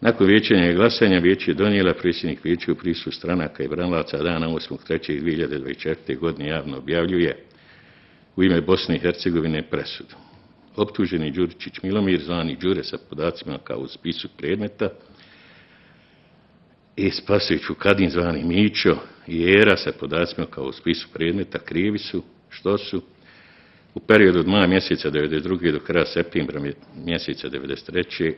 Nakon vijećanja i glasanja vijeće je donijela predsjednik vijeća u prisustvu stranaka i branilaca dana 8.3.2024. godine javno objavljuje u ime Bosne i Hercegovine presudu. Optuženi Đuričić Milomir, zvani Đure sa podacima kao u spisu predmeta, i Spasović Vukadin, zvani Mićo, i Era sa podacima kao u spisu predmeta krivi su što su u periodu od maja mjeseca 1992. do kraja septembra mjeseca 1993.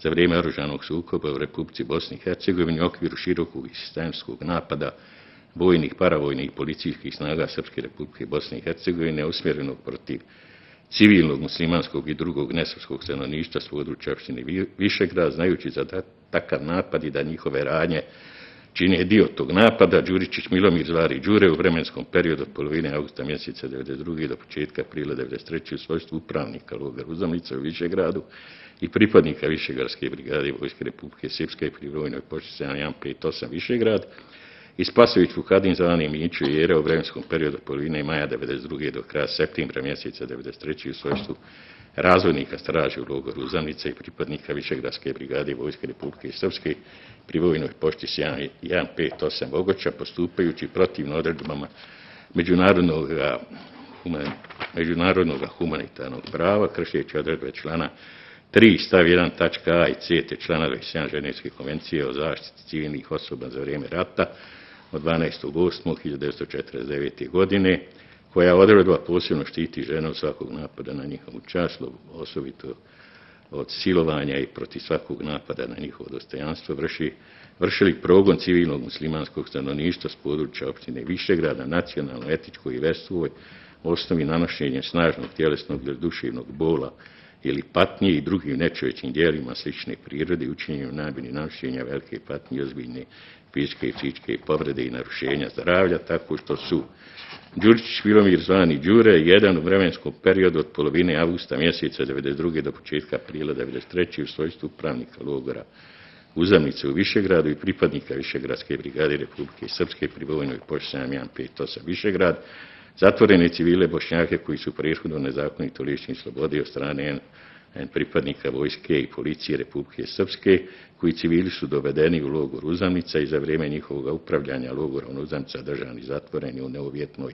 za vrijeme oružanog sukoba u Republici Bosni i Hercegovini u okviru širokog i sistemskog napada vojnih, paravojnih i policijskih snaga Srpske Republike Bosne i Hercegovine usmjerenog protiv civilnog, muslimanskog i drugog nesrpskog stanovništva s područja opštine Višegrad, znajući za takav napad i da njihove radnje čine dio tog napada, Đuričić Milomir, zvani Đure, u vremenskom periodu od polovine augusta mjeseca 1992. do početka aprila 1993. u svojstvu upravnika logora Uzdamnica u Višegradu i pripadnika Višegradske brigade Vojske Republike Srpske pri vojnoj pošti 7158 Višegrad, i Spasović Vukadin, zvani Mićo, i Era u vremenskom periodu od polovine maja 1992. do kraja septembra mjeseca 1993. u svojstvu razvojnika straže u logoru Uzdamnica i pripadnika Višegradske brigade Vojske Republike Srpske pri vojnoj pošti 7158 Bogoća, postupajući protivno odredbama međunarodnog humanitarnog prava, kršeći odredbe člana 3 stav 1 tačka a i c te člana 27 Ženevske konvencije o zaštiti civilnih osoba za vrijeme rata od 12.8.1949. godine, koja odredba posebno štiti žene od svakog napada na njihovu čast, osobito od silovanja i protiv svakog napada na njihovo dostojanstvo, vršili progon civilnog muslimanskog stanovništva s područja opštine Višegrada, nacionalno, etičko i vjerstvoj osnovi nanošenja snažnog tjelesnog ili duševnog bola ili patnje i drugim nečovječnim djelima slične prirode i učinjenju namjeri nanošenja velike patnje i ozbiljne fizičke i psihičke povrede i narušenja zdravlja, tako što su Đuričić Milomir, zvani Đure, jedan u vremenskom periodu od polovine avgusta mjeseca 1992. do početka aprila 1993. u svojstvu upravnika logora Uzdamnice u Višegradu i pripadnika Višegradske brigade Republike Srpske pri vojnoj pošti 7158 Višegrad, zatvorene civile Bošnjake koji su prethodno nezakonito lišeni slobode od strane pripadnika vojske i policije Republike Srpske, koji civili su dovedeni u logor Uzdamnica i za vrijeme njihovog upravljanja logorom Uzdamnica držani zatvoreni u neuvjetnoj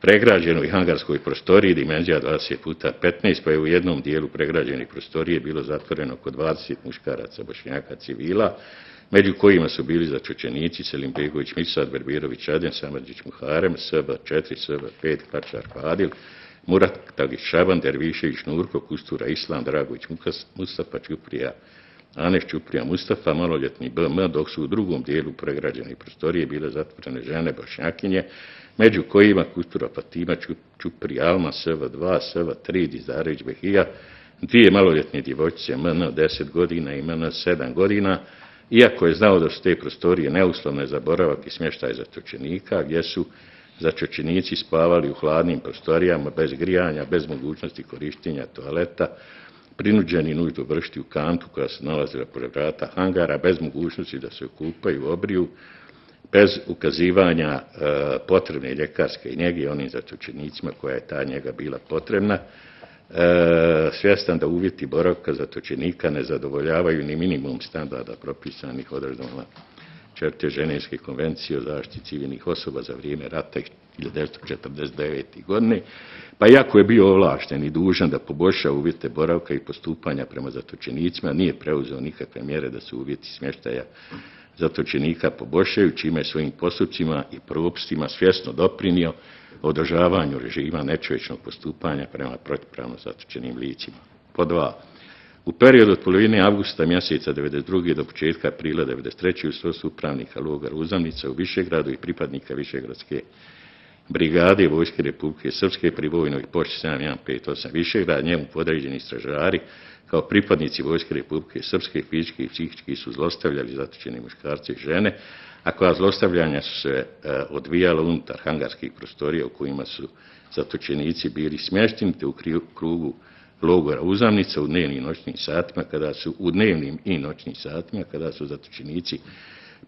pregrađenoj hangarskoj prostoriji dimenzija 20x15, pa je u jednom dijelu pregrađene prostorije bilo zatvoreno oko 20 muškaraca Bošnjaka civila, među kojima su bili zatočenici Selim Begović, Mirsad, Berbirović, Adem, Samardžić, Muharem, SB4, SB5, Kačar, Fadil, Murat Tagić, Šaban, Dervišević, Nurko, Kustura, Islam, Dragović, Mustafa, Čuprija, Aneš, Čuprija, Mustafa, maloljetni BM, dok su u drugom dijelu pregrađene prostorije bile zatvorene žene Bošnjakinje, među kojima Kustura, Fatima, Čuprija, Alma, SV2, SV3, Dizarević, Behija, dvije maloljetne djevojčice, MN 10 godina i MN 7 godina, iako je znao da su te prostorije neuslovne za boravak i smještaj zatočenika, gdje su zatočenici spavali u hladnim prostorijama, bez grijanja, bez mogućnosti korištenja toaleta, prinuđeni nuždu vršiti u kantu koja se nalazila pored vrata hangara, bez mogućnosti da se okupaju, obriju, bez ukazivanja potrebne ljekarske njege onim zatočenicima koja je ta njega bila potrebna, svjestan da uvjeti boravka zatočenika ne zadovoljavaju ni minimum standarda propisanih odredbama 4. Ženevske konvencije o zaštiti civilnih osoba za vrijeme rata 1949. godine, pa iako je bio ovlašten i dužan da poboljša uvjete boravka i postupanja prema zatočenicima, nije preuzeo nikakve mjere da se uvjeti smještaja zatočenika poboljšaju, čime je svojim postupcima i propustima svjesno doprinio održavanju režima nečovječnog postupanja prema protivpravno zatočenim licima. Po 2. U periodu od polovine avgusta mjeseca 1992. do početka aprila 1993. u svojstvu upravnika logora Uzdamnica u Višegradu i pripadnika Višegradske brigade Vojske Republike Srpske pri vojnoj pošti 7158 Višegrad, njemu podređeni stražari kao pripadnici Vojske Republike Srpske fizički i psihički su zlostavljali zatočene muškarce i žene, a koja zlostavljanja su se odvijala unutar hangarskih prostorija u kojima su zatočenici bili smješteni, te u krugu logora Uzdamnica u dnevnim i noćnim satima kada su zatočenici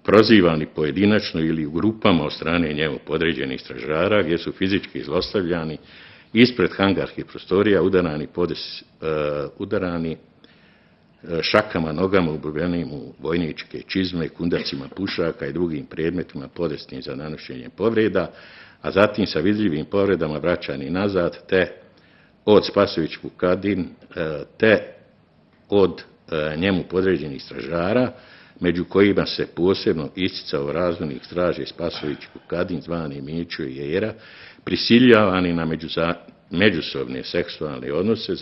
prozivani pojedinačno ili u grupama od strane njemu podređenih stražara, gdje su fizički zlostavljani ispred hangarskih prostorija, udarani šakama, nogama obuvenim u vojničke čizme, kundacima pušaka i drugim predmetima podesnim za nanošenje povreda, a zatim sa vidljivim povredama vraćani nazad, te od Spasović Vukadin, te od njemu podređenih stražara, među kojima se posebno isticao razvojnih straže Spasović Vukadin, zvani Mićo i Jera, prisiljavani na međusobne seksualne odnose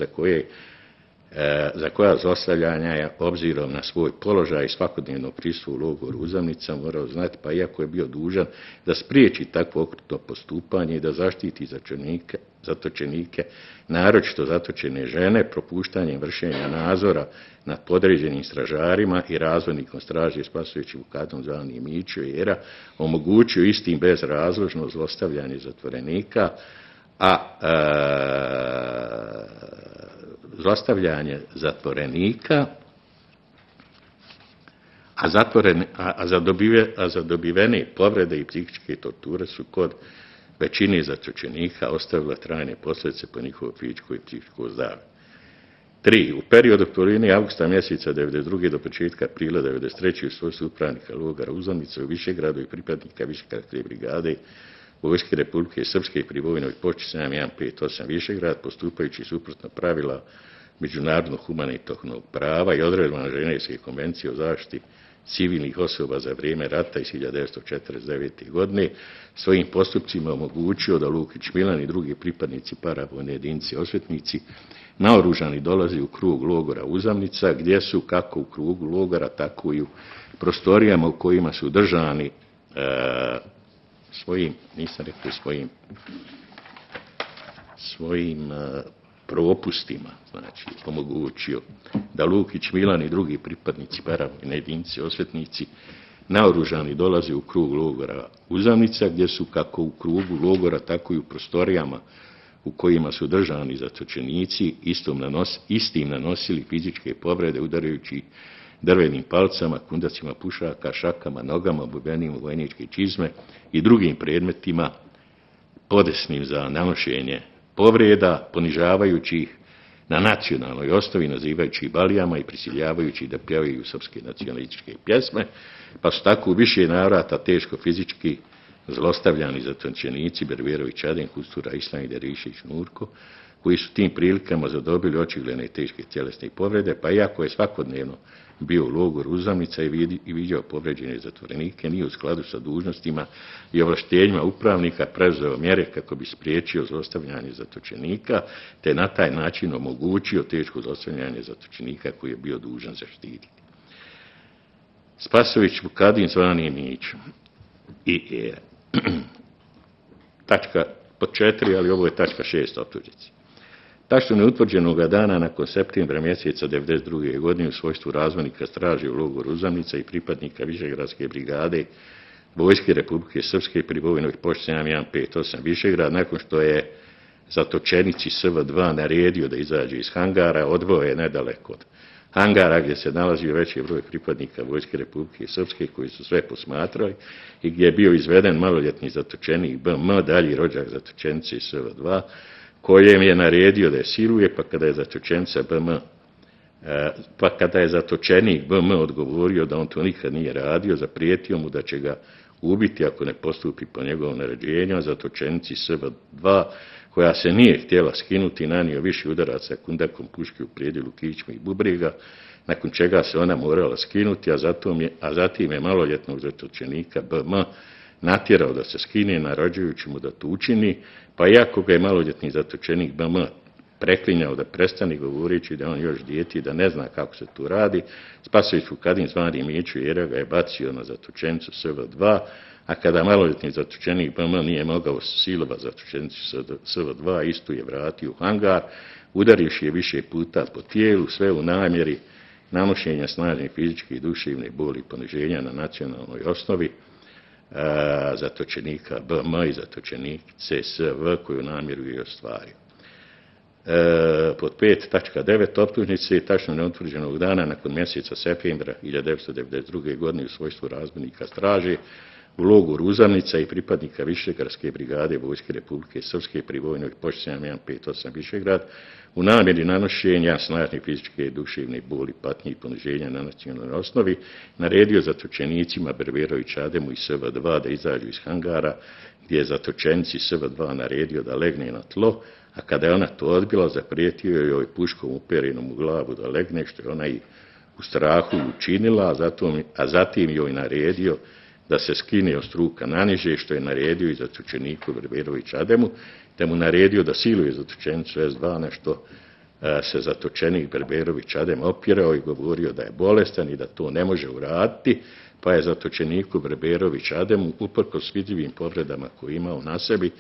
za koja zlostavljanja je obzirom na svoj položaj i svakodnevno prisustvo u logoru Uzamnica morao znati, pa iako je bio dužan da spriječi takvo okrutno postupanje i da zaštiti zatočenike, naročito zatočene žene, propuštanjem vršenja nadzora nad podređenim stražarima i razvojnikom straže Spasović Vukadin, zvani Mićo i Jera, omogućio istim bezrazložno zlostavljanje zatvorenika, zlostavljanje zatvorenika, a za dobivene povrede i psihičke torture su kod većine zatočenika ostavila trajne posljedice po njihovo fizičko i psihičko zdravlje. 3. U periodu polovine avgusta mjeseca 1992. do početka aprila 1993. u svojstvu upravnika logora Uzamnica u Višegradu i pripadnika Višegradske brigade Vojske Republike Srpske pri vojnoj pošti 7158 Višegrad, postupajući suprotno pravila međunarodnog humanitarnog prava i odredbama Ženevske konvencije o zaštiti civilnih osoba za vrijeme rata iz 1949. godine, svojim postupcima omogućio da Lukić Milan i drugi pripadnici paravojne jedinice osvetnici naoružani dolazi u krug logora Uzamnica, gdje su kako u krugu logora, tako i u prostorijama u kojima su držani svojim propustima, znači omogućio da Lukić Milan i drugi pripadnici paravojne jedinice osvetnici naoružani dolaze u krug logora Uzamnica, gdje su kako u krugu logora, tako i u prostorijama u kojima su držani zatočenici istim nanosili fizičke povrede udarajući drvenim palcama, kundacima pušaka, šakama, nogama, obuvenim u vojničke čizme i drugim predmetima podesnim za nanošenje povreda, ponižavajući ih na nacionalnoj osnovi, nazivajući ih balijama i prisiljavajući ih da pjevaju srpske nacionalističke pjesme, pa su tako u više navrata teško fizički zlostavljani zatočenici Berberović Aden, Kustura Islam i Derišić Nurko, koji su tim prilikama zadobili očigledne i teške tjelesne povrede, pa iako je svakodnevno bio u logoru Uzamnica i viđao povređene zatvorenike, nije u skladu sa dužnostima i ovlaštenjima upravnika preuzeo mjere kako bi spriječio zlostavljanje zatočenika, te na taj način omogućio teško zlostavljanje zatočenika koji je bio dužan zaštititi. Spasović Vukadin, zvani Mićo i tačka pod 4, ali ovo je tačka 6 optužnice. Tačno neutvrđenog dana nakon septembra mjeseca 1992. godine u svojstvu razvojnika straže u logoru Uzamnica i pripadnika Višegradske brigade Vojske Republike Srpske pri vojnoj pošti 7158 Višegrad, nakon što je zatočenici SV2 naredio da izađe iz hangara, odveo je nedaleko od hangara gdje se nalazio veći broj pripadnika Vojske Republike Srpske koji su sve posmatrali i gdje je bio izveden maloljetni zatočenik BM, dalji rođak zatočenice SV2, kojem je naredio da je siluje, pa kada je zatočenik BM odgovorio da on to nikad nije radio, zaprijetio mu da će ga ubiti ako ne postupi po njegovom naređenju, a zatočenici SV2, koja se nije htjela skinuti, nanio više udaraca kundakom puške u predjelu kičme i bubrega, nakon čega se ona morala skinuti, a zatim je maloljetnog zatočenika BM natjerao da se skine, naređujući mu da to učini, pa iako ga je maloljetni zatočenik BM preklinjao da prestane govoreći da on još dijete i da ne zna kako se tu radi, Spasović Vukadin, zvani Mićo Jera, ga je bacio na zatočenicu SV2, a kada maloljetni zatočenik BM nije mogao silova zatočenicu SV2, istu je vratio u hangar, udarivši je više puta po tijelu, sve u namjeri nanošenja snažne fizičke i duševne boli i poniženja na nacionalnoj osnovi zatočenika BM i zatočenice SV koju namjeru je ostvario. Pod 5.9 optužnice tačno neutvrđenog dana nakon mjeseca septembra 1992. godine u svojstvu razbojnika straže u logoru Uzanica i pripadnika Višegradske brigade Vojske Republike Srpske pri vojnoj pošti 7158 Višegrad u namjeri nanošenja snažne fizičke, duševne boli, patnje i poniženja na nacionalnoj osnovi naredio zatočenicima Berberović Ademu i SV2 da izađu iz hangara, gdje je zatočenici SV2 naredio da legne na tlo, a kada je ona to odbila, zaprijetio joj puškom uperenom u glavu da legne, što je ona i u strahu učinila, a zatim joj naredio da se skine od struka naniže, što je naredio i zatočeniku Berberović Ademu, te mu naredio da siluje zatočenicu S2, na što se zatočenik Berberović Adem opirao i govorio da je bolestan i da to ne može uraditi, pa je zatočeniku Berberović Ademu, uprkos vidljivim povredama koje imao na sebi,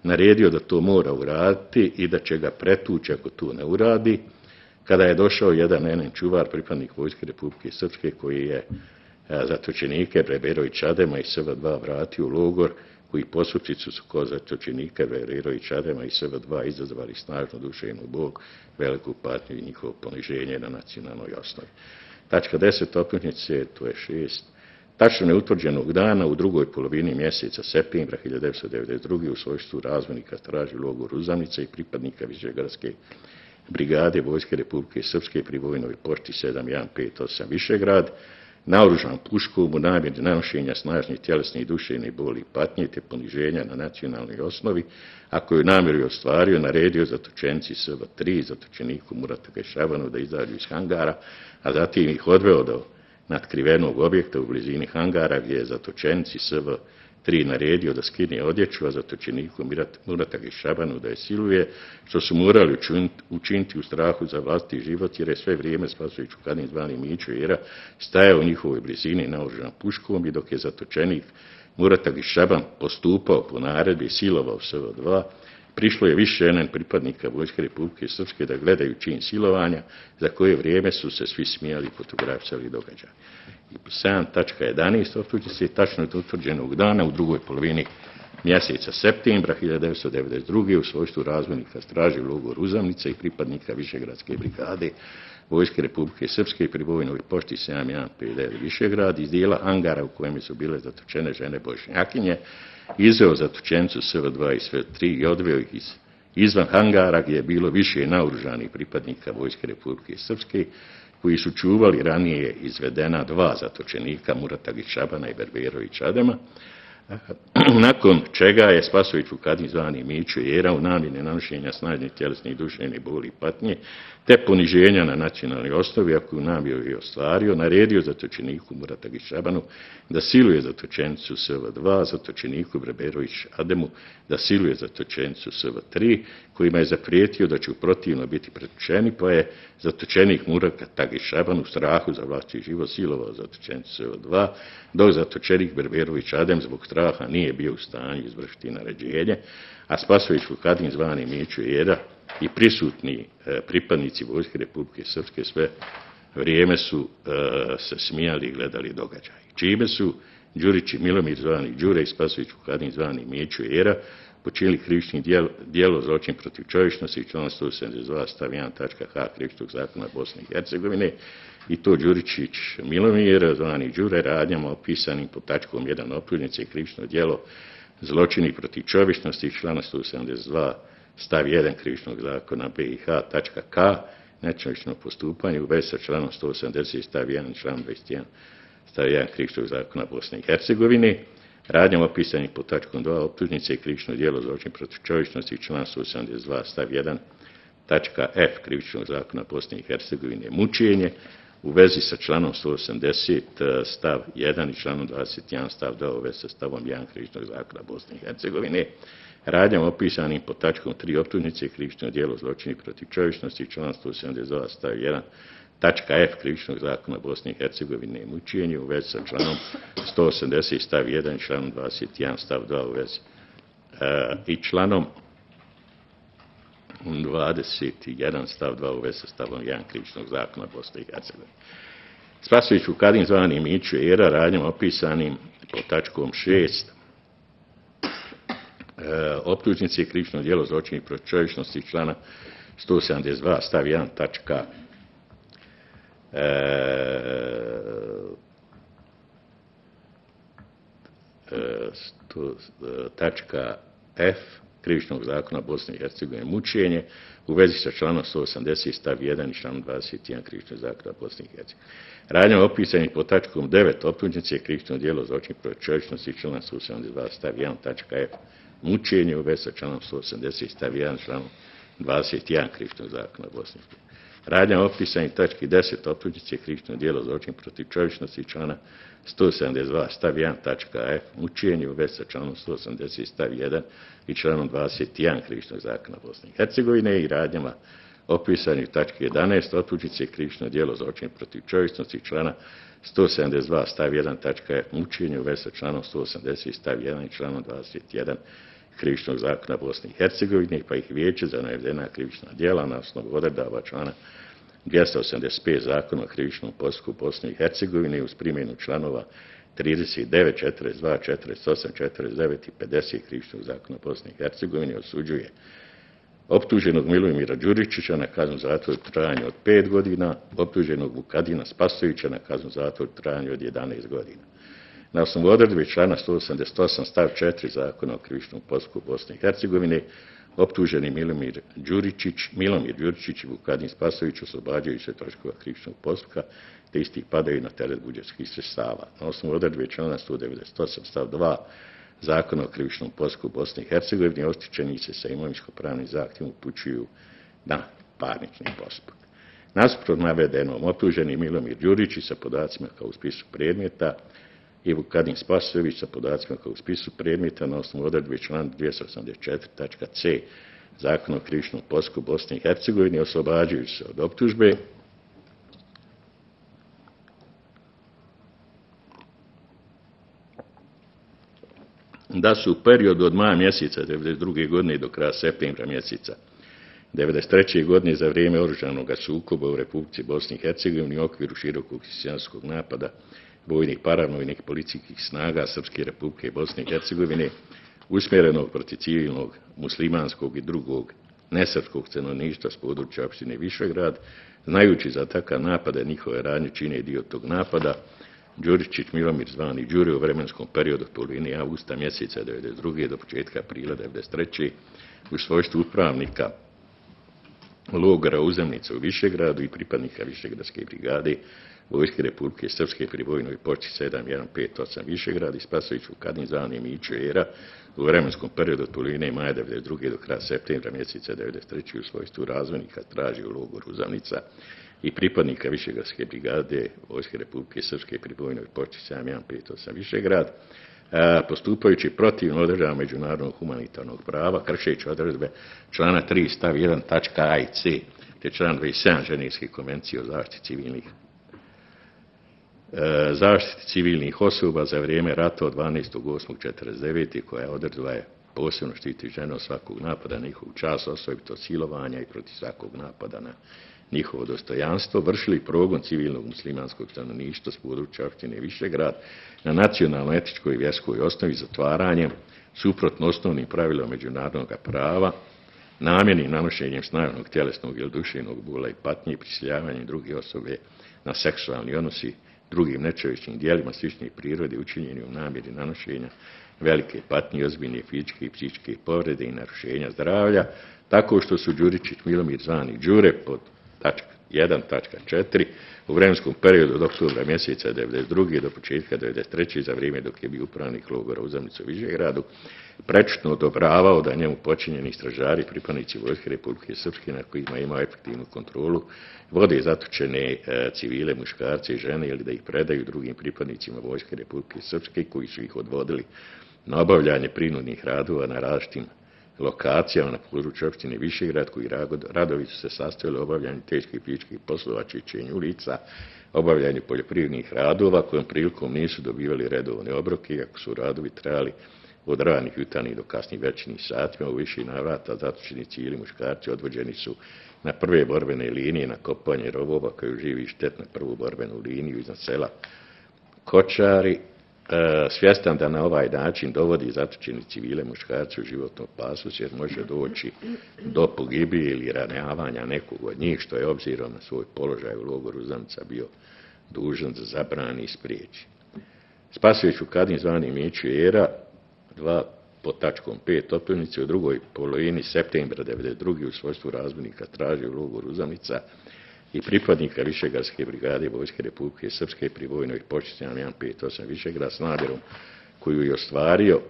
naredio da to mora uraditi i da će ga pretući ako to ne uradi. Kada je došao jedan NN čuvar, pripadnik Vojske Republike Srpske, koji je zatočenike Berberović Adema i SV2 vratio u logor, koji postupci su kod zatočenike Berberović Adema i SV2 izazvali snažnu duševnu bol, veliku patnju i njihovo poniženje na nacionalnoj osnovi. Tačka 10 optužnice, to je 6. Tačno neutvrđenog dana u drugoj polovini mjeseca septembra 1992. u svojstvu razvojnika straži logor Uzanica i pripadnika Višegradske brigade Vojske Republike Srpske pri vojnoj pošti 7158 Višegrad, naoružan puškom u namjeri nanošenja snažnih tjelesnih i duševnih boli i patnje te poniženja na nacionalnoj osnovi, a koju namjeru je ostvario, naredio zatočenici SV3 zatočeniku Muratu Gajšabanu da izađu iz hangara, a zatim ih odveo do natkrivenog objekta u blizini hangara, gdje je zatočenici SV3 naredio da skine odjeću, a zatočeniku Murata Gajšabanu da je siluje, što su morali učiniti u strahu za vlastiti život, jer je sve vrijeme Spasović Vukadin zvani Mićo Jera stajao u njihovoj blizini naoružan puškom, i dok je zatočenik Murata Gajšaban postupao po naredbi i silovao SV2, prišlo je više NN pripadnika Vojske Republike Srpske da gledaju čin silovanja, za koje vrijeme su se svi smijali i fotografisali događaj. I 7.11 optužnice tačno utvrđenog dana u drugoj polovini mjeseca septembra 1992. u svojstvu razvojnika straži logor Uzanica i pripadnika Višegradske brigade Vojske Republike Srpske pri vojnoj pošti 7159 Višegrad iz dijela hangara u kojem su bile zatočene žene Bošnjakinje, izveo zatočenicu SV2 i SV3 i odveo ih izvan hangara, gdje je bilo više naoružanih pripadnika Vojske Republike Srpske, koji su čuvali ranije izvedena dva zatočenika Murata Gajšabana i Berberović Adema, nakon čega je Spasović Vukadin zvani Mićo Jera u namjeri nanošenja snažnih tjelesnih i duševnih boli i patnje te poniženja na nacionalnoj osnovi, a koju namjeru je ostvario, naredio zatočeniku Murata Gajšabanu da siluje zatočenicu SV2, zatočeniku Berberović Ademu da siluje zatočenicu SV3, kojima je zaprijetio da će protivno biti pretučeni, pa je zatočenik Murata Gajšaban u strahu za vlastiti život silovao zatočenicu SV2, dok zatočenik Berberović Adem zbog straha nije bio u stanju izvršiti naređenje, a Spasović Vukadin zvani Mićo Jera i prisutni pripadnici Vojske Republike Srpske sve vrijeme su se smijali i gledali događaj. Čime su Đurić i Milomir zvani Đure i Spasović Vukadin zvani Mićo Jera počinili krivični djelo zločin protiv čovječnosti, član 172 stav 1.h Krivičnog zakona Bosne i Hercegovine, i to Đuričić Milomir zvani Đure radnjama opisanim pod tačkom 1 optužnice krivično djelo zločini protiv čovječnosti, člana 172 stav 1 Krivičnog zakona BiH tačka K, nečovječno postupanje u vezi sa članom 180 stav 1 član 21 stav 1 Krivičnog zakona Bosne i Hercegovine, radnjama opisanih pod tačkom 2 optužnice i krivično djelo zločin protiv čovječnosti, član 182 stav 1 tačka F Krivičnog zakona Bosne i Hercegovine mučenje u vezi sa članom 180 stav 1 i članom 21 stav 2 u vezi sa stavom 1 Krivičnog zakona Bosne i Hercegovine, radnjama opisanim pod tačkom 3 optužnice i krivično djelo zločini protiv čovječnosti, član 172 stav 1 tačka F Krivičnog zakona Bosne i Hercegovine mučenje u vezi sa članom 180 stav 1 i članom 21 stav 2 u vezi i članom 21 stav 2 u vezi sa stavom 1 Krivičnog zakona Bosne i Hercegovine. Spasović Vukadin zvani Mićo Jera radnjama opisanim pod tačkom 6 optužnice i krivično djelo zločini protiv čovječnosti, člana 172 stav 1 tačka to tačka F Krivičnog zakona Bosne i Hercegovine mučenje u vezi sa članom 180 stav 1 i članom 21 Krivičnog zakona Bosne i Hercegovine. Radnjama opisanih pod tačkom 9 optužnice je krivično djelo zločin protiv čovječnosti i članom 172 stav 1 tačka F mučenje u vezi sa članom 180 stav 1 članom 21 Krivičnog zakona Bosne i Hercegovine. Radnjama opisanih tački 10 optužnice je krivično djelo zločin protiv čovječnosti i člana 172 stav 1 tačka F mučenje u vezi sa članom 180 stav 1 i članom 21 Krivičnog zakona Bosne i Hercegovine i radnjama opisanih tački 11 optužnice je krivično djelo zločin protiv čovječnosti i člana 172 stav 1 tačka F mučenje u vezi sa članom 180 stav 1 i članom 21 Krivičnog zakona Bosne i Hercegovine, pa ih Vijeće za navedena krivična djela na osnovu odredaba člana 285 zakona o krivičnom postupku Bosne i Hercegovine uz primjenu članova 39, 42, 48, 49 i 50 Krivičnog zakona Bosne i Hercegovine osuđuje optuženog Milomira Đuričića na kaznu zatvora u trajanju od 5 godina, optuženog Vukadina Spasovića na kaznu zatvora u trajanju od 11 godina. Na osnovu odredbe člana 188 stav 4 zakona o krivičnom postupku Bosne i Hercegovine, optuženi Milomir Đuričić i Vukadin Spasović oslobađaju se troškova krivičnog postupka, te isti padaju na teret budžetskih sredstava. Na osnovu odredbe člana 198 stav 2 zakona o krivičnom postupku Bosne i Hercegovine, oštećenici se sa imovinsko-pravnim zahtjevom upućuju na parnični postupak. Nasuprot navedenom, optuženi Milomir Đuričić sa podacima kao u spisu predmeta i Vukadin Spasović sa podacima kao u spisu predmeta na osnovu odredbe člana 284.c zakona o krivičnom postupku Bosne i Hercegovine oslobađaju se od optužbe da su u periodu od maja mjeseca 1992. godine do kraja septembra mjeseca 1993. godine za vrijeme oružanog sukoba u Republici Bosni i Hercegovini u okviru širokog hrišćanskog napada vojnih, paravojnih policijskih snaga Srpske Republike Bosne i Hercegovine usmjerenog protiv civilnog, muslimanskog i drugog nesrpskog stanovništva s područja opštine Višegrad, znajući za takav napada njihove radnje čine dio tog napada, Đuričić Milomir zvani Đure u vremenskom periodu od polovine avgusta mjeseca 1992. do početka aprila 1993. u svojstvu upravnika logora Uzemnica u Višegradu i pripadnika Višegradske brigade Vojske Republike Srpske pri vojnoj počti 7158 Višegrad i Spasović Vukadin zvani Mićo Era u vremenskom periodu od polovine maja 1992. do kraja septembra mjeseca 1993. u svojstvu razvojnika straži u logoru Uzemnica i pripadnika Višegradske brigade Vojske Republike Srpske pri vojnoj počti 7158 Višegrad, postupajući protivno odredbama međunarodnog humanitarnog prava, kršeći odredbe člana 3 stav 1 tačka A i C te član 27 Ženevske konvencije o zaštiti civilnih osoba za vrijeme rata od 12.8.49. koja odredba je posebno štiti žene od svakog napada na njihovu čast, osobito silovanja i protiv svakog napada na njihovo dostojanstvo, vršili progon civilnog muslimanskog stanovništva s područja opštine Višegrad na nacionalno, etičkoj i vjerskoj osnovi zatvaranjem, suprotno osnovnim pravilima međunarodnog prava, namjernim nanošenjem snažnog tjelesnog ili duševnog bola i patnje i prisiljavanjem druge osobe na seksualni odnos i drugim nečovječnim dijelima sličnih prirode učinjeni u namjeri nanošenja velike patnje, ozbiljne fizičke i psihičke povrede i narušenja zdravlja, tako što su Đuričić Milomir zvani Đure pod tačka 1.4 u vremenskom periodu od oktobra mjeseca 1992. do početka 1993. za vrijeme dok je bio upravnik logora Uzemnica u Višegradu prečutno odobravao da njemu počinjeni stražari, pripadnici Vojske Republike Srpske na kojima ima efektivnu kontrolu, vode zatočene civile, muškarce i žene ili da ih predaju drugim pripadnicima Vojske Republike Srpske koji su ih odvodili na obavljanje prinudnih radova na različitim lokacijama na području opštine Višegrad, koji radovi su se sastojili obavljanju teških fizičkih poslova, čišćenju ulica, obavljanju poljoprivrednih radova, kojom prilikom nisu dobivali redovne obroke, iako su radovi trajali od ranih jutarnjih do kasnih večernjih satima. U više navrata zatočeni civili muškarci odvođeni su na prve borbene linije na kopanje rovova koji živi štet na prvu borbenu liniju iznad sela Kočari, svjestan da na ovaj način dovodi zatočeni civile muškarci u životnu opasnost jer može doći do pogibije ili ranjavanja nekog od njih, što je obzirom na svoj položaj u logoru Uzemnica bio dužan da zabrani i spriječi. Spasović Vukadin zvani Mićo Era 2 pod tačkom 5 optužnice u drugoj polovini septembra 1992. u svojstvu razbojnika tražio u logoru Uzanica i pripadnika Višegradske brigade Vojske Republike Srpske pri vojnoj počasti 158 Višegrad s namjerom koju je ostvario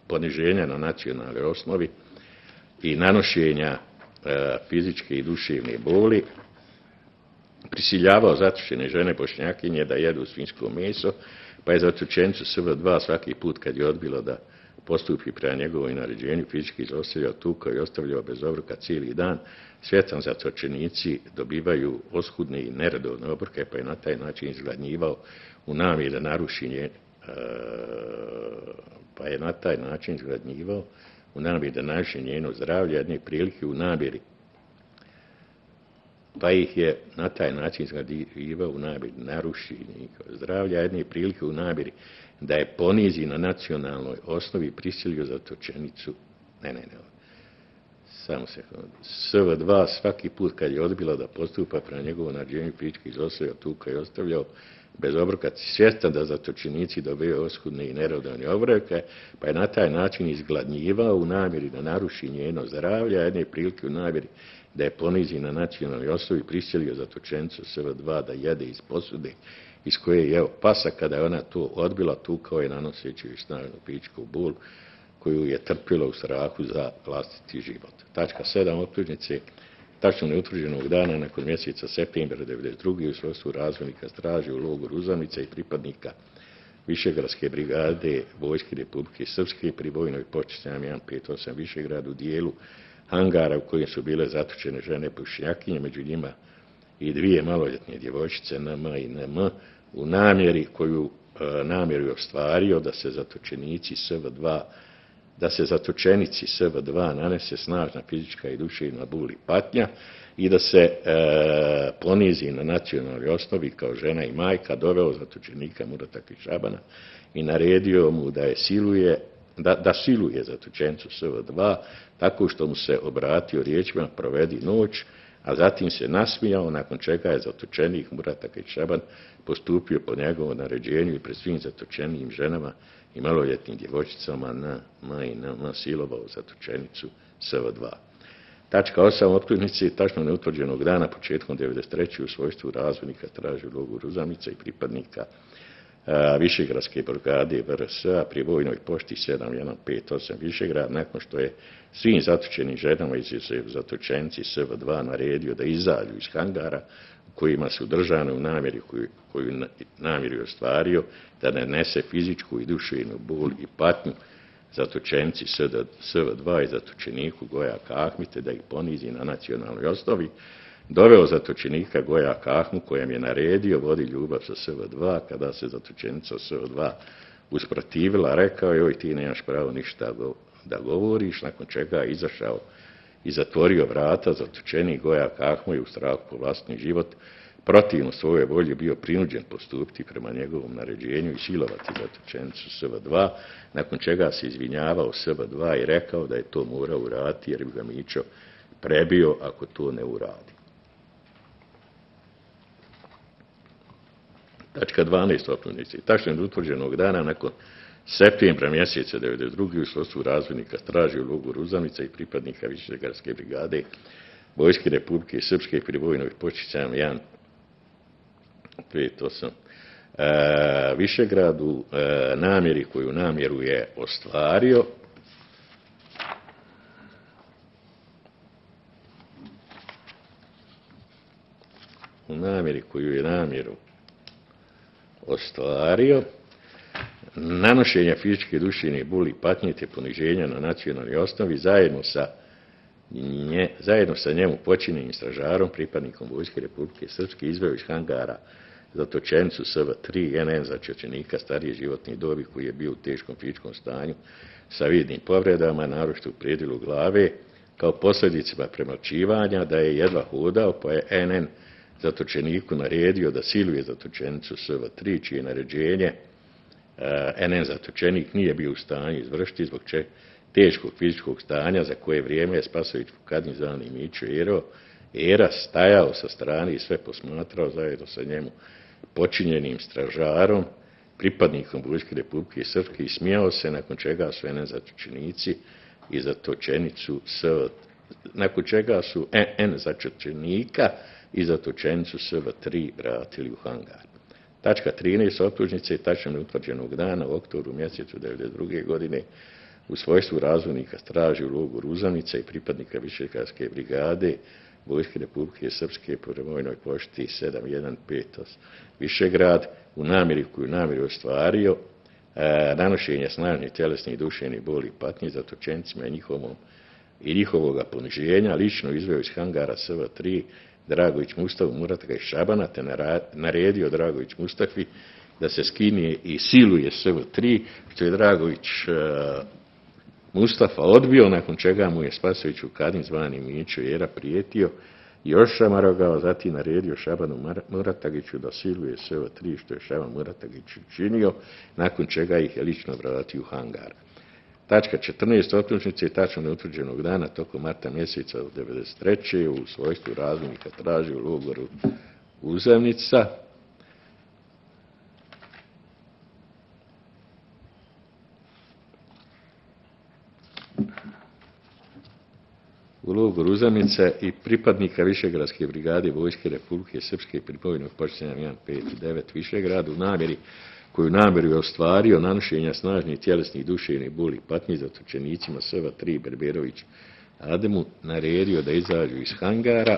poniženja na nacionalnoj osnovi i nanošenja fizičke i duševne boli, prisiljavao zatočene žene Bošnjakinje da jedu svinjsko meso, pa je zatočenicu SV2 svaki put kad je odbilo da postupi prema njegovoj naređenju fizički izostavljao, tukao i ostavljao bez obroka cijeli dan. Svjetan zatočenici dobivaju oskudne i neredovne obroke, pa je na taj način izgladnjivao u namjeri da naruši njeno zdravlje, jedne prilike u namjeri da je ponizi na nacionalnoj osnovi, prisilio zatočenicu. SV2 svaki put kad je odbila da postupa prema njegovom naređenju fizički izostavljao, tukao i ostavljao bez obroka, svjestan da zatočenici dobiju oskudne i neredovne obroke, pa je na taj način izgladnjivao u namjeri da naruši njeno zdravlje, a jedne prilike u namjeri da je ponizi na nacionalnoj osnovi, prisilio zatočenicu SV2 da jede iz posude iz koje je jeo pasa. Kada je ona to odbila, tukao je nanoseći joj snažnu fizičku bol koju je trpila u strahu za vlastiti život. Tačka 7 optužnice. Tačno neutvrđenog dana nakon mjeseca septembra 1992. u svojstvu razvojnika straže u logoru Uzanica i pripadnika Višegradske brigade Vojske Republike Srpske pri vojnoj počasti 158 Višegrad u dijelu hangara u kojem su bile zatočene žene Bošnjakinje, među njima i 2 maloljetne djevojčice NM i NM, u namjeru je ostvario da se zatočenici SV2 nanese snažna fizička i duševna bol i patnja i da se ponizi na nacionalnoj osnovi kao žena i majka, doveo zatočenika Murata Kišabana i naredio mu da siluje zatočenicu SV2 tako što mu se obratio riječima provedi noć, a zatim se nasmijao, nakon čega je zatočenik Murata Kišaban postupio po njegovom naređenju i pred svim zatočenijim ženama i maloljetnim djevojčicama na silovao zatočenicu SV2. Tačka 8 optužnice. Tačno neutvrđenog dana početkom 1993. u svojstvu razvojnika traži u logoru Uzanica i pripadnika Višegradske brigade VRS-a pri vojnoj pošti 7158 Višegrad, nakon što je svim zatočenim ženama izuzev zatočenici SV2 naredio da izađu iz hangara u kojima su držane u namjeri koju namjeru ostvario, da ne nese fizičku i duševnu bol i patnju zatočenici SV2 i zatočeniku Gojaka Ahmite, da ih ponizi na nacionalnoj osnovi, doveo zatočenika Gojaka Ahmu kojem je naredio vodi ljubav sa SV2. Kada se zatočenica SV2 usprotivila, rekao je: "Oj, ti nemaš pravo ništa da govoriš", nakon čega je izašao i zatvorio vrata. Zatočenik Gojaka Ahmu je u strahu po vlastni život protivno svoje volje bio prinuđen postupiti prema njegovom naređenju i silovati zatočenicu SV2, nakon čega se izvinjavao SV2 i rekao da je to morao uraditi jer bi ga Mićo prebio ako to ne uradi. Tačka 12 optužnice. Tačno utvrđenog dana nakon septembra mjeseca 1992. u svojstvu razvojnika traži u logoru Uzanica i pripadnika Višegradske brigade Vojske Republike Srpske pri vojnoj počasti 158 Višegradu, namjeri koju namjeru je ostvario nanošenja fizičke, duševne boli i patnje te poniženja na nacionalnoj osnovi zajedno sa njemu počinjenim stražarom, pripadnikom Vojske Republike Srpske, izveo iz hangara zatočenicu SV3 NN zatočenika starije životne dobi koji je bio u teškom fizičkom stanju sa vidnim povredama, naročito u predjelu glave, kao posljedicama premlaćivanja, da je jedva hodao, pa je NN zatočeniku naredio da siluje zatočenicu SV3, čije naređenje NN zatočenik nije bio u stanju izvršiti zbog teškog fizičkog stanja, za koje vrijeme je Spasović Vukadin zvani Mićo Era stajao sa strane i sve posmatrao zajedno sa njemu počinjenim stražarom, pripadnikom Vojske Republike Srpske i smijao se, nakon čega su NN zatočenici i zatočenicu nakon čega su NN zatočenika i zatočenicu SV3 vratili u hangar. Tačka 13. optužnice tačno utvrđenog dana u oktobru mjesecu 1992. godine u svojstvu razvojnika straže u logoru Uzanica i pripadnika Višegradske brigade Vojske Republike Srpske po vojnoj pošti 7158 Višegrad u namjeri koju namjeru ostvario nanošenje snažnih tjelesnih i duševnih boli i patnji zatočenicima i njihovoga poniženja lično izveo iz hangara SV3 Dragović Mustavu Murata iz Šabana te naredio Dragović Mustafi da se skine i siluje SV3, što je Dragović Mustafa odbio, nakon čega mu je Spasović Vukadin zvani Mićo Jera prijetio i još šamarogao, zatim naredio Šabanu Muratagiću da siluje SV3, što je Šaban Muratagić učinio, nakon čega ih je lično vratio u hangar. Tačka 14. optužnice je tačno neutvrđenog dana tokom marta mjeseca 1993. u svojstvu razvojnika traži u logoru Uzanica. U logoru Uzanica i pripadnika Višegradske brigade Vojske Republike Srpske pri bojnog počinjenja 159 Višegrad u namjeri koju namjeru je ostvario nanošenja snažnih tjelesnih duševnih boli patnji zatočenicima SV3 Berberović Ademu naredio da izađu iz hangara.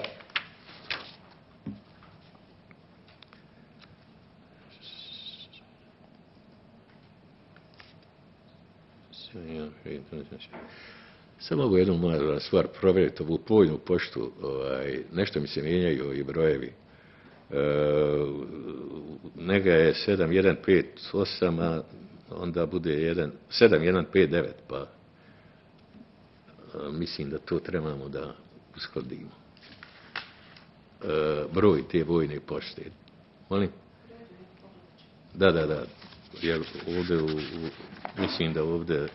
Samo mogu jednu malu stvar provjeriti ovu pojnu poštu. Nešto mi se mijenjaju i brojevi. Nega je 7158, a onda bude 7159, pa mislim da to trebamo da uskladimo. Broj te vojne pošte. Molim? Da. Jer ovdje, mislim da ovdje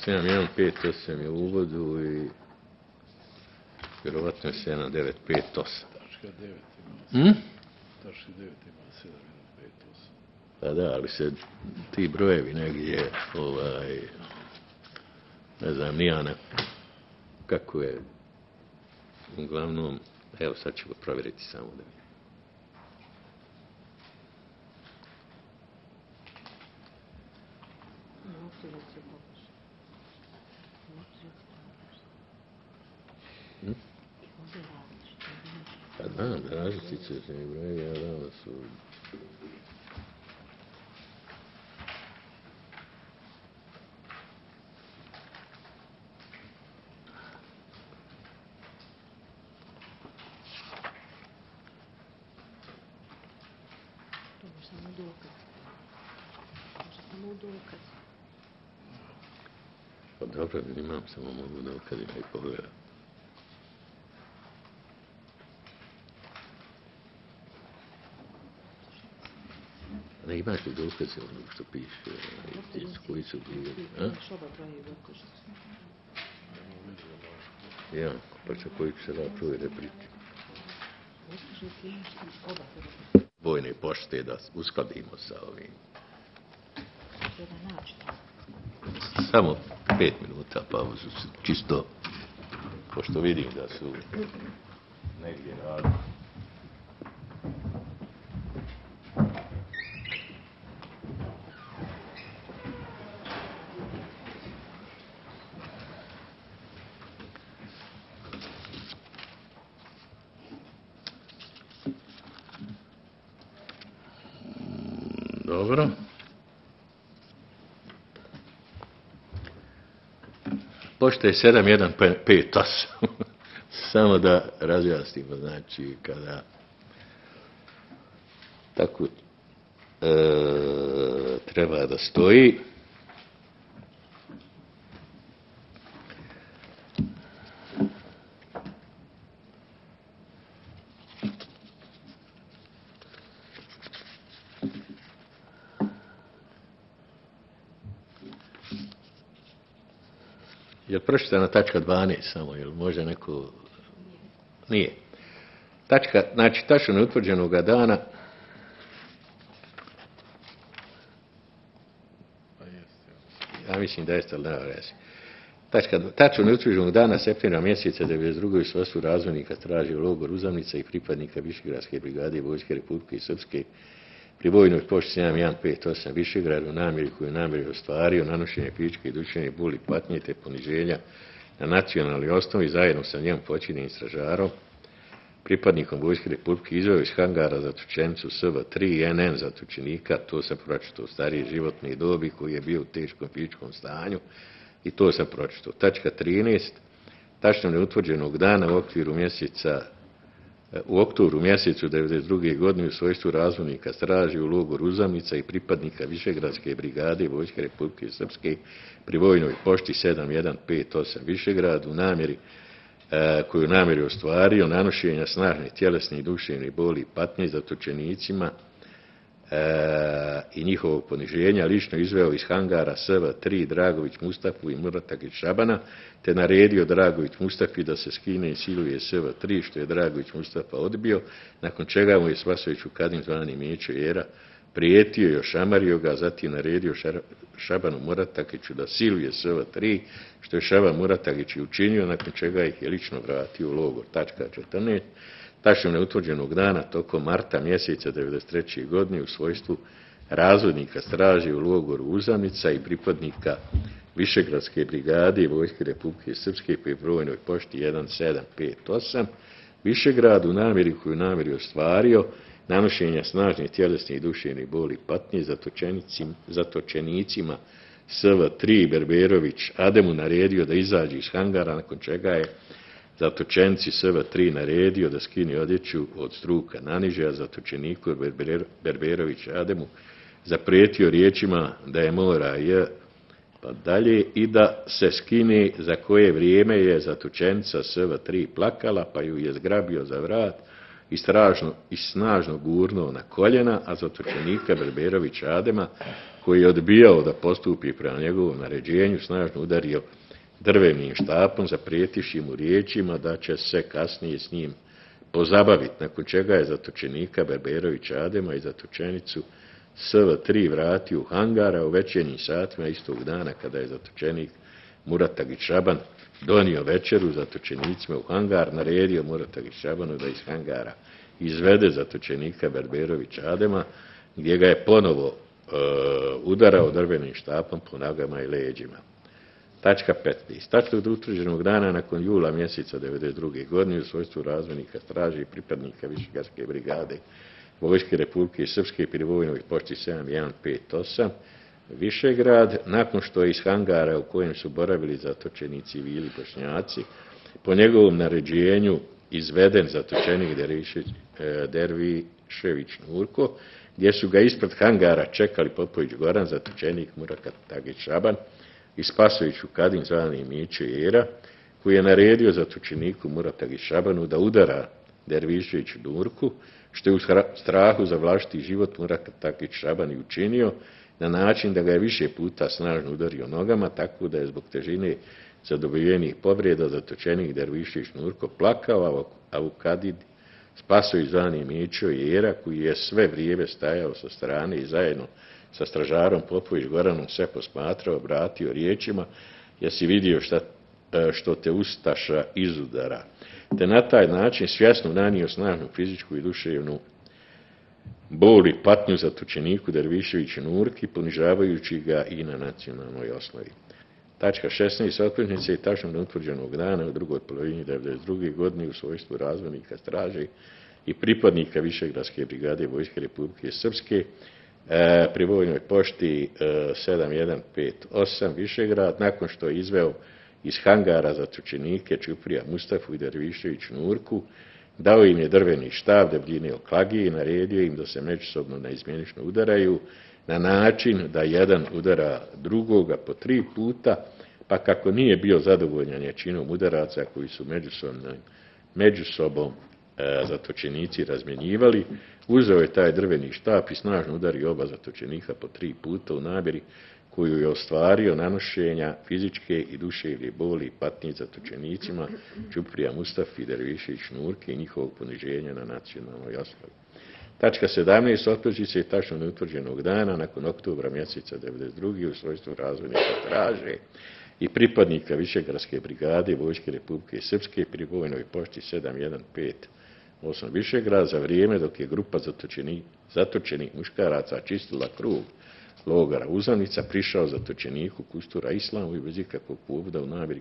7158 je u uvodu i vjerovatno je 7958. Tačka 9 ima 7158. Pa da, ali se ti brojevi negdje, ne znam, nijana kako je, uglavnom, evo sad ćemo provjeriti samo da vidimo. Pa znam, različice se mi brojevi, a da su... Pa dobro, imam, samo mogu da okadim i pogledam. Ne imaš li dokaze ono što piše, koji su bili, a? Ja, pa će koji će se da provjere priče. Vojne pošte da uskladimo sa ovim. Samo 5 minuta pauzu, čisto, pošto vidim da su negdje radili. Dobro. Pošto je 7158, samo da razjasnimo, znači kada tako treba da stoji. Je pročitana tačka 12 samo, jel može neko Nije. Znači, tačno neutvrđenog dana ja mislim da jeste, ali ne rezi. Tačno neutvrđenog dana septembra mjeseca 1992. u svojstvu razvojnika traži u logoru Uzamnica i pripadnika Višegradske brigade Vojske Republike Srpske pri vojnoj pošti 7158 Višegrad u namjeri koju namjeri ostvario nanošenje fizičke i duševne boli, patnje te poniženja na nacionalnoj osnovi zajedno sa njom počinjenim stražarom, pripadnikom Vojske Republike izveo iz hangara zatočenicu SV3 NN zatočenika, to sam pročitao starije životne dobi koji je bio u teškom fizičkom stanju i to sam pročitao. Tačka 13. Tačno neutvrđenog dana u oktobru mjesecu 1992. godine u svojstvu razvojnika straži u logoru Uzamnica i pripadnika Višegradske brigade Vojske Republike Srpske pri vojnoj pošti 7158 Višegrad u namjeri koju namjeri ostvario nanošenja snažne tjelesne i duševne boli i patnje zatočenicima i njihovog poniženja lično izveo iz hangara SV3 Dragović Mustafu i Muratagić Šabana, te naredio Dragović Mustafi da se skine i siluje SV3, što je Dragović Mustafa odbio, nakon čega mu je Spasović Vukadin zvani Mijećo Jera prijetio i ošamario ga, zatim naredio Šabanu Muratagiću da siluje SV3, što je Šaban Muratagić i učinio, nakon čega ih je lično vratio u logor. Tačka 14. Tačno neutvrđenog dana tokom marta mjeseca 1993. godine u svojstvu razvodnika straži u logoru Uzamnica i pripadnika Višegradske brigade Vojske Republike Srpske pri brojnoj pošti 1758 Višegrad u namjeri koju namjeri ostvario nanošenja snažne tjelesne i duševne boli patnje zatočenicima SV3 Berberović Ademu naredio da izađe iz hangara, nakon čega je zatočenici SV3 naredio da skine odjeću od struka naniže, a zatočeniku Berberović Ademu zaprijetio riječima da je mora pa dalje i da se skine, za koje vrijeme je zatočenica SV3 plakala, pa ju je zgrabio za vrat i snažno gurnuo na koljena, a zatočenika Berberović Adema, koji je odbijao da postupi prema njegovom naređenju, snažno udario drvenim štapom, zaprijetivši mu riječima da će se kasnije s njim pozabaviti, nakon čega je zatočenika Berberović Adema i zatočenicu SV3 vratio u hangara u večernjim satima istog dana kada je zatočenik Muratagić Šaban donio večeru zatočenicima u hangar, naredio Muratagić Šabanu da iz hangara izvede zatočenika Berberović Adema, gdje ga je ponovo udarao drvenim štapom po nogama i leđima. Tačka 15. Tačno od utvrđenog dana nakon jula mjeseca 1992. godine u svojstvu razvojnika straže i pripadnika Višegradske brigade Vojske Republike Srpske pri vojnoj pošti 7158 Višegrad, nakon što je iz hangara u kojem su boravili zatočeni civili Bošnjaci, po njegovom naređenju izveden zatočenik Dervišević Nurko, gdje su ga ispred hangara čekali Popović Goran, zatočenik Muratagić Šaban i Spasović Vukadin zvani Mijećo Jera, koji je naredio zatočeniku Muratagić Šabanu da udara Dervišević Nurku, što je u strahu za vlastiti život Muratagić Šaban i učinio, na način da ga je više puta snažno udario nogama, tako da je zbog težine zadobivenih povreda zatočenik Dervišević Nurko plakao, a Vukadin Spasović zvani Mijećo Jera, koji je sve vrijeme stajao sa strane i zajedno sa stražarom Popović Goranom sve posmatrao, obratio riječima: jesi vidio što te ustaša izudara, te na taj način svjesno nanio snažnu fizičku i duševnu bol i patnju zatočeniku Derviševiću Nurki, ponižavajući ga i na nacionalnoj osnovi. Tačka 16. Optužnice i tačno neutvrđenog dana u drugoj polovini 1992. godine u svojstvu razvojnika straže i pripadnika Višegradske brigade Vojske Republike Srpske pri vojnoj pošti 7158 Višegrad, nakon što je izveo iz hangara zatočenike Čuprija Mustafu i Dervišević Nurku, dao im je drveni štab debljine oklagije i naredio im da se međusobno neizmjenično udaraju na način da jedan udara drugoga po 3 puta, pa kako nije bio zadovoljan jačinom udaraca koji su međusobom zatočenici razmjenjivali, uzeo je taj drveni štap i snažno udario oba zatočenika po 3 puta u namjeri koju je ostvario nanošenja fizičke i duševne boli i patnje zatočenicima Čuprija Mustafi, Dervišević Nurke i njihovog poniženja na nacionalnoj osnovi. Tačka 17. Optužnice je tačno neutvrđenog dana nakon oktobra mjeseca 1992. u svojstvu razvojnika straže i pripadnika Višegradske brigade Vojske Republike Srpske pri vojnoj pošti 7158 Višegrad za vrijeme dok je grupa zatočenih muškaraca čistila krug logora Uzanica prišao zatočeniku Kustura Islamu i bez ikakvog povoda u namjeri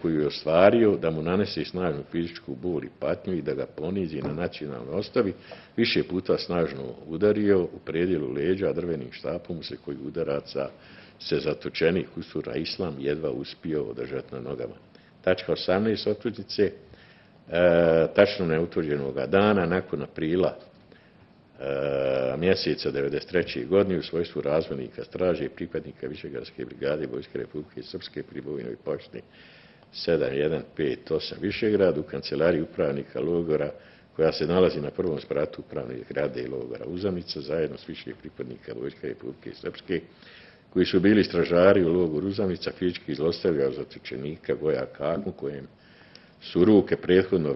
koju je ostvario da mu nanese snažnu fizičku bol i patnju i da ga ponizi na nacionalnoj osnovi, više puta snažno udario u predjelu leđa, a drvenim štapom se koji udaraca se zatočenik Kustura Islam jedva uspio održati na nogama. Tačka 18. optužnice, tačno neutvrđenog dana nakon aprila mjeseca 1993. godine u svojstvu razvojnika straže i pripadnika Višegradske brigade Vojske Republike Srpske pri vojnoj pošti 7158 Višegrad u kancelariji upravnika logora koja se nalazi na prvom spratu upravne zgrade logora Uzanica zajedno s više pripadnika Vojske Republike Srpske koji su bili stražari u logoru Uzanica fizički zlostavljao zatočenika Gojaka Akmu kojem su ruke prethodno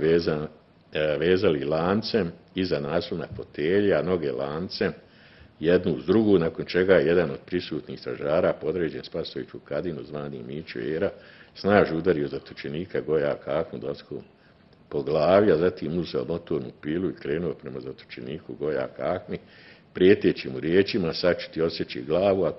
vezali lancem iza naslovna fotelja, a noge lancem jednu uz drugu, nakon čega je jedan od prisutnih stražara podređen Spasoviću Kadinu zvani Mićo Era snažno udario zatočenika Gojaka Akmu doskom po glavi, a zatim uzeo motornu pilu i krenuo prema zatočeniku Gojaka Akmi, prijeteći mu riječima sačuti osjeći glavu, a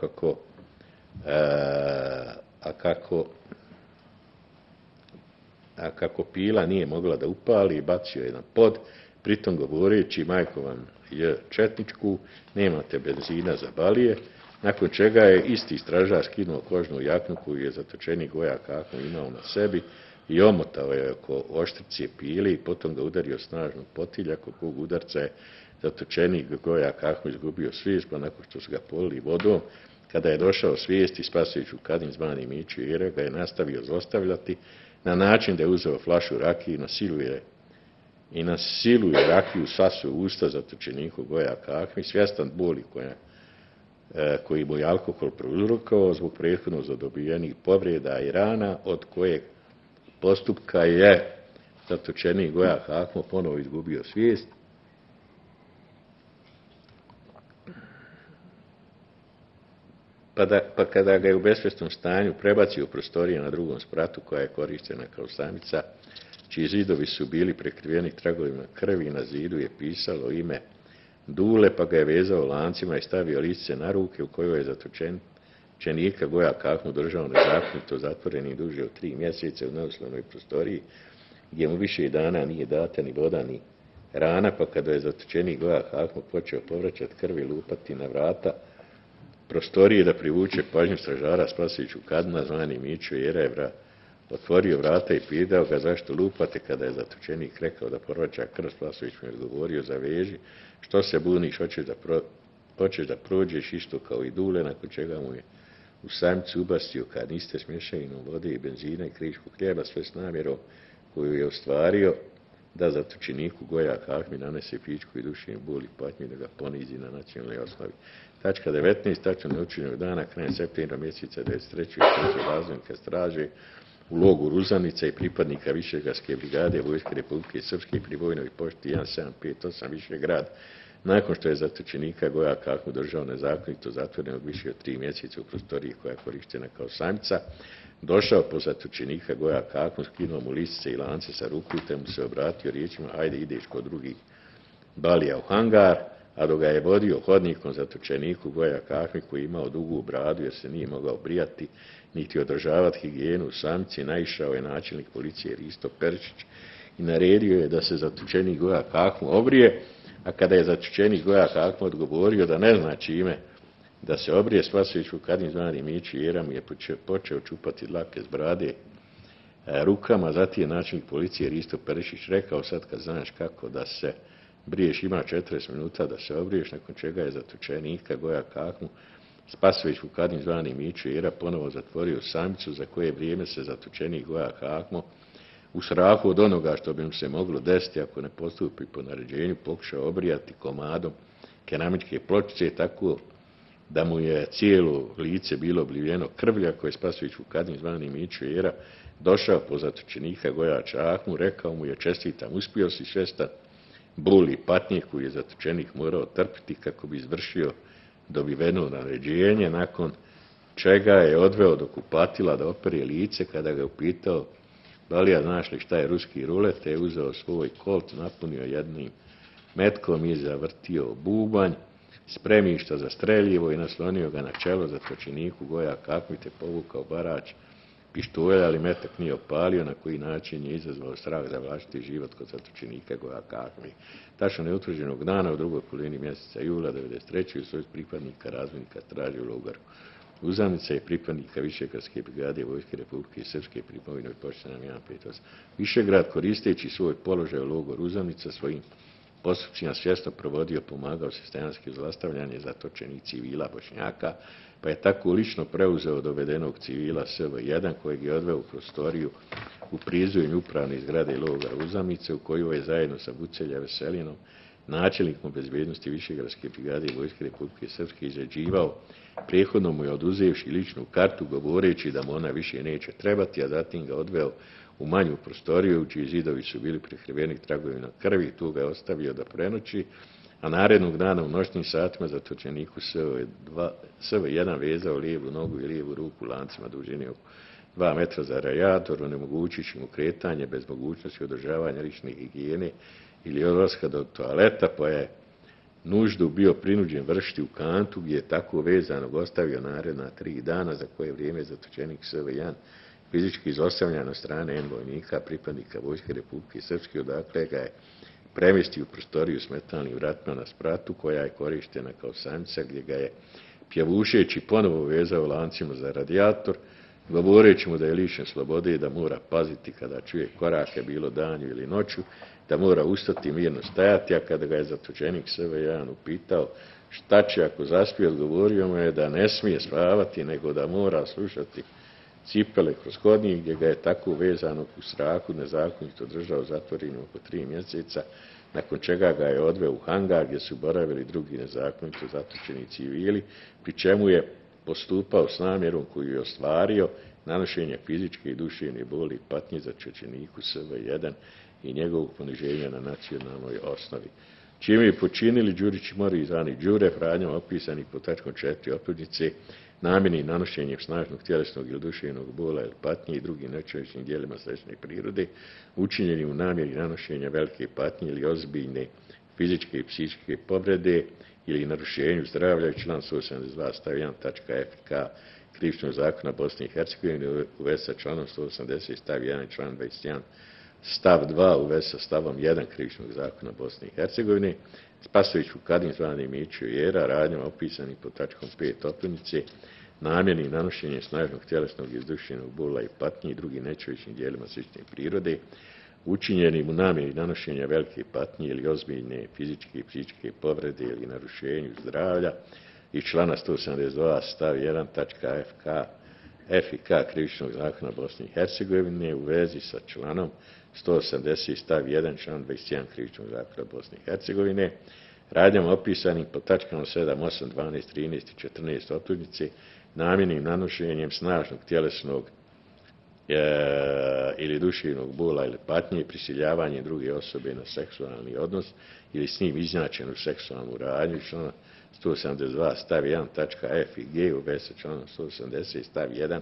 kako pila nije mogla da upali, bacio je na pod, pritom govoreći majko vam je četničku, nemate benzina za balije, nakon čega je isti stražar skinuo kožnu jaknu koju je zatočenik Gojak Akmo imao na sebi i omotao je oko oštrice pile i potom ga udario snažno potilja, kog udarca je zatočenik Gojak Akmo izgubio svijest, pa nakon što su ga polili vodom, kada je došao svijest i Spasoviću Kadin zvani Mićo Era ga je nastavio zlostavljati na način da je uzeo flašu rakije i na silu je rakiju sasuo usta zatočeniku Gojaka Akmi, svjestan boli koji mu je alkohol prouzrokovao zbog prethodno zadobijenih povreda i rana, od kojeg postupka je zatočenik Gojak Akmo ponovo izgubio svijest. Pa kada ga je u besvjesnom stanju prebacio u prostorije na drugom spratu koja je korištena kao samica, čiji zidovi su bili prekriveni tragovima krvi, na zidu je pisalo ime Dule, pa ga je vezao lancima i stavio lice na ruke u kojoj je zatočenika Gojak Akmo držao nezakonito zatvoreni duže od 3 mjeseca u neuslovnoj prostoriji, gdje mu više dana nije data ni voda ni rana, pa kada je zatočenik Gojak Akmo počeo povraćati krvi lupati na vrata prostorije da privuče pažnju stražara Spasoviću Kadina zvani Mićo Era otvorio vrata i pitao ga zašto lupate, kada je zatočenik rekao da povraća krv. Spasović mu je odgovorio zaveži, što se buniš, hoćeš da prođeš isto kao i Dule, nakon čega mu je u samicu ubastio kanister s mješavinom vode i benzina i kriškog hljeba, sve s namjerom koju je ostvario da zatočeniku Gojak Akmi nanese fizičku i duševnu bol i patnju da ga ponizi na nacionalnoj osnovi. Tačka 19. Tačno neučinjenog dana, krajem septembra mjeseca 1993. u razvojnika straže u logoru Uzanica i pripadnika Višegradske brigade Vojske Republike Srpske pri vojnoj pošti 1758 Višegrad, nakon što je zatočenika Gojaka Akmo držao nezakonito zatvorenog više od 3 mjeseca u prostoriji koja je korištena kao samica, došao po zatočenika Gojaka Akmo, skinuo mu lisice i lance sa ruku te mu se obratio riječima ajde ideš kod drugih balija u hangar, a dok ga je vodio hodnikom zatočeniku Gojaka Akmi koji je imao dugu bradu jer se nije mogao brijati niti održavati higijenu u samici, naišao je načelnik policije Risto Perišić i naredio je da se zatočenik Gojak Akmo obrije, a kada je zatočenik Gojak Akmo odgovorio da ne zna čime da se obrije, Spasoviću Kadin zvani Mićo Era mu je počeo čupati dlake s brade rukama, zatim je načelnik policije Risto Perišić rekao sad kad znaš kako da se briješ, ima 40 minuta da se obriješ, nakon čega je zatočenika Gojaka Akmu Spasoviću Kadin zvani Mićo Era ponovo zatvorio samicu za koje vrijeme se zatočenik Gojak Akmo u strahu od onoga što bi mu se moglo desiti ako ne postupi po naređenju pokušao obrijati komadom keramičke pločice, tako da mu je cijelo lice bilo oblivljeno krvlja, koje je Spasović Vukadin zvani Mićo Jera došao po zatočenika Gojača Ahmu, rekao mu je: čestitam, uspio si svjestan boli i patnje koju je zatočenik morao trpiti kako bi izvršio dobiveno naređenje, nakon čega je odveo do kupatila da opere lice. Kada ga je upitao: Balija, znaš li šta je ruski rulet, je uzeo svoj kolt, napunio jednim metkom i zavrtio bubanj spremišta za streljivo i naslonio ga na čelo zatočeniku Gojaka Ahmu, te povukao barač pištolja, ali metak nije opalio, na koji način je izazvao strah za vlastiti život kod zatočenika Gojaka Ahme. Tačno neutvrđenog dana u drugoj polovini mjeseca jula 1993. u svojih pripadnika razvojnika traži u logoru Uzanica i pripadnika Višegradske brigade Vojske Republike Srpske pri povinoj pošti nam 158. Višegrad, koristeći svoj položaj u logoru Uzanica, svojim postupcima svjesno provodio, pomagao sistemski zlostavljanje zatočenih civila Bošnjaka, pa je tako lično preuzeo dovedenog civila SV1, kojeg je odveo u prostoriju u prizvojenju upravne zgrade logora Uzamice, u koju je zajedno sa Bucelja Veselinom, načelnikom bezbjednosti Višegradske brigade Vojske Republike Srpske, izrađivao, prethodno mu je oduzevši ličnu kartu, govoreći da mu ona više neće trebati, a zatim ga odveo u manju prostoriju, čiji zidovi su bili prekriveni tragovima krvi, tu ga je ostavio da prenoći, a narednog dana u noćnim satima zatočeniku SV1 vezao lijevu nogu i lijevu ruku lancima dužine oko 2 metra za radijator, onemogućujući mu kretanje bez mogućnosti održavanja lične higijene ili odlaska do toaleta, pa je nuždu bio prinuđen vršiti u kantu, gdje je tako vezanog ostavio naredna 3 dana, za koje vrijeme zatočenik SV1 fizički izostavljan od strane N vojnika, pripadnika Vojske Republike Srpske, odakle ga je premjestio u prostoriju s metalnim vratima na spratu, koja je korištena kao samnica, gdje ga je pjevušeći ponovo vezao lancima za radijator, govoreći mu da je lišen slobode i da mora paziti kada čuje korake, bilo danju ili noću, da mora ustati mirno stajati, a kada ga je zatočenik SV1 upitao šta će ako zaspije, odgovorio mu je da ne smije spavati, nego da mora slušati cipele kroz hodnik, gdje ga je tako vezanog u strahu nezakonito držao zatvorenim oko 3 mjeseca, nakon čega ga je odveo u hangar, gdje su boravili drugi nezakonito zatočeni civili, pri čemu je postupao s namjerom koju je ostvario, nanošenje fizičke i duševne boli i patnje zatočeniku SV1 i njegovog poniženja na nacionalnoj osnovi. Čime je počinili Đurić i Mori zvani Đure, radnjama opisani pod tačkom 4 optužnice, namjernim nanošenjem snažnog tjelesnog ili duševnog bola ili patnje i drugim nečovječnim dijelima slične prirode, učinjenim u namjeri nanošenja velike patnje ili ozbiljne fizičke i psihičke povrede ili narušenju zdravlja, član 172 stav 1 tačka FK Krivičnog zakona Bosne i Hercegovine u vezi sa članom 180 stav 1 i član 21 stav 2 u vezi sa stavom 1 Krivičnog zakona Bosne i Hercegovine. Spasović Vukadin zvani Mićo Jera, radnjama opisani pod tačkom 5 optužnice, namjernim nanošenjem snažnog tjelesnog i duševnog bola i patnje i drugim nečovječnim dijelima slične prirode, učinjenim u namjeri nanošenja velike patnje ili ozbiljne fizičke i psihičke povrede ili narušenju zdravlja i člana 172 stav 1 tačka FK Krivičnog zakona Bosne i Hercegovine u vezi sa članom 180 stav 1 član 21 Krivičnog zakona Bosne i Hercegovine, radnjama opisanim pod tačkama 7, 8, 12, 13 i 14 optužnice, namjernim nanošenjem snažnog tjelesnog ili duševnog bola ili patnje, prisiljavanjem druge osobe na seksualni odnos ili s njim izznačenu seksualnu radnju, člana 172 stav 1 tačka F i G u vezi sa članom 180 stav 1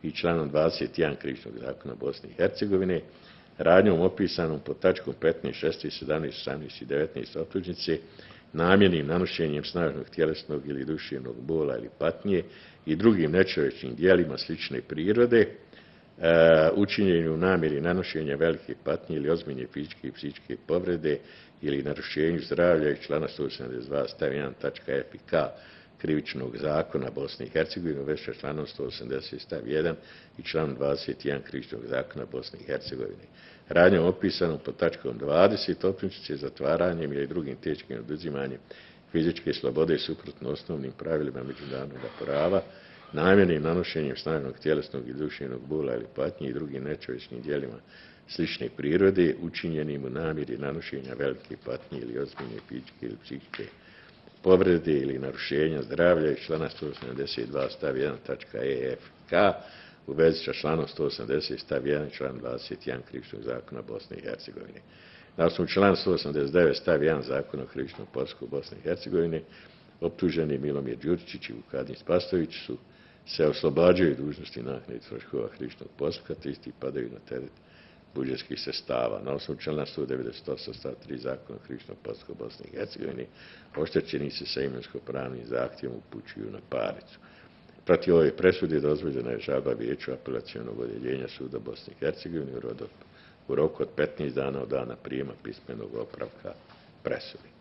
i članom 21 Krivičnog zakona Bosne i Hercegovine, radnjom opisanom pod tačkom 15, 16, 17, 18 i 19 optužnice, namjernim nanošenjem snažnog tjelesnog ili duševnog bola ili patnje i drugim nečovječnim dijelima slične prirode, učinjenju u namjeri nanošenja velike patnje ili ozbiljne fizičke i psihičke povrede ili narušenju zdravlja i člana 172 stav 1 tačka F i K Krivičnog zakona Bosne i Hercegovine u vezi sa članom 180 stav 1 i članom 21 Krivičnog zakona Bosne i Hercegovine. Radnjom opisanom pod tačkom 20 optužnice zatvaranjem ili drugim teškim oduzimanjem fizičke slobode suprotno osnovnim pravilima međunarodnog prava, namjernim nanošenjem snažnog tjelesnog i duševnog bola ili patnje i drugim nečovječnim dijelima slične prirode, učinjenim u namjeri nanošenja velike patnje ili ozbiljne fizičke ili psihičke povrede ili narušenja zdravlja iz člana 172 stav 1 tačka e, f, k u vezi sa članom 180 stav 1 i član 21 Krivičnog zakona Bosne i Hercegovine. Na osnovu člana 189 stav 1 zakona o krivičnom postupku Bosne i Hercegovine optuženi Milomir Đuričić i Vukadin Spasojević se oslobađaju dužnosti naknade troškova krivičnog postupka, te isti padaju na teret budžetskih sredstava. Na osnovu člana 198 stav 3 zakona o krivičnom postupku Bosne i Hercegovine oštećeni se sa imovinsko-pravnim zahtjevom upućuju na parnicu. Protiv ove presude dozvoljena je žalba Vijeću apelacionog odjeljenja suda Bosne i Hercegovine u roku od 15 dana od dana prijema pismenog opravka presude.